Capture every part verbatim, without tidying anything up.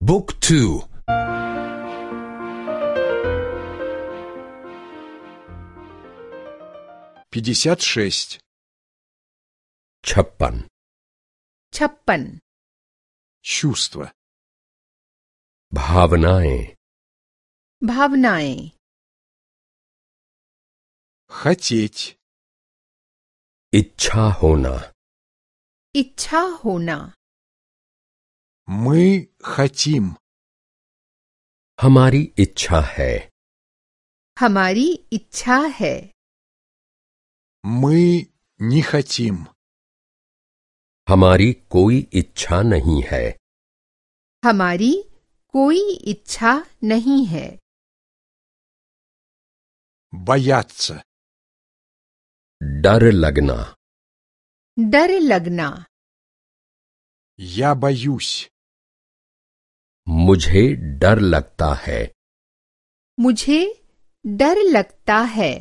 Book two. пятьдесят шесть. छप्पन छप्पन Чувство. भावनाएं भावनाएं Хотеть. इच्छा होना इच्छा होना Мы хотим. हमारी इच्छा है हमारी इच्छा है Мы не хотим. हमारी कोई इच्छा नहीं है हमारी कोई इच्छा नहीं है Бояться. डर लगना डर लगना Я боюсь. मुझे डर लगता है मुझे डर लगता है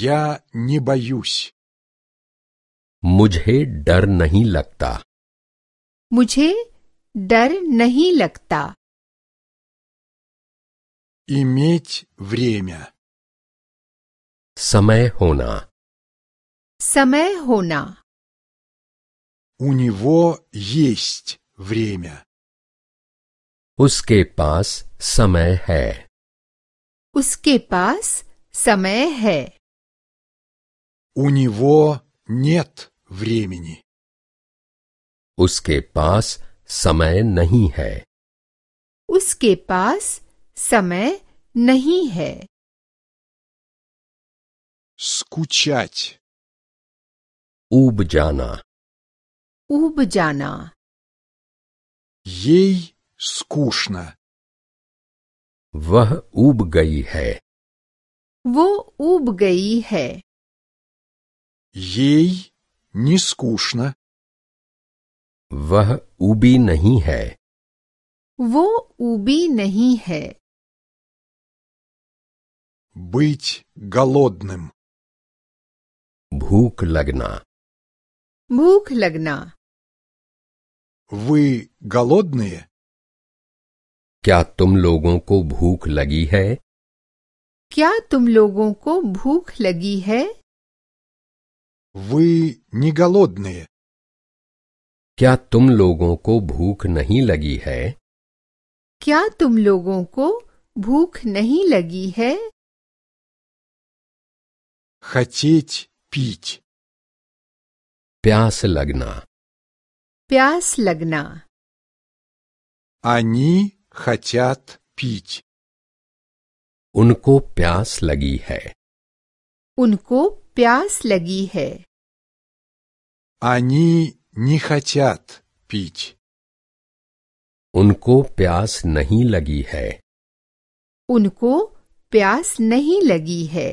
Я не боюсь. मुझे डर नहीं लगता मुझे डर नहीं लगता Иметь время. समय होना समय होना У него есть время. उसके पास समय है उसके पास समय है У него нет времени. उसके पास समय नहीं है उसके पास समय नहीं है Скучать. ऊब जाना ऊब जाना Ей скучно. वह ऊब गई है वो ऊब गई है Ей не скучно. वह ऊबी नहीं है वो ऊबी नहीं है Быть голодным. भूख लगना भूख लगना Вы голодные? क्या तुम लोगों को भूख लगी है क्या तुम लोगों को भूख लगी है Вы не голодные? क्या तुम लोगों को भूख नहीं लगी है क्या तुम लोगों को भूख नहीं लगी है Хотеть пить. प्यास लगना प्यास लगना Они хотят пить. उनको प्यास लगी है उनको प्यास लगी है Они не хотят пить. उनको प्यास नहीं लगी है उनको प्यास नहीं लगी है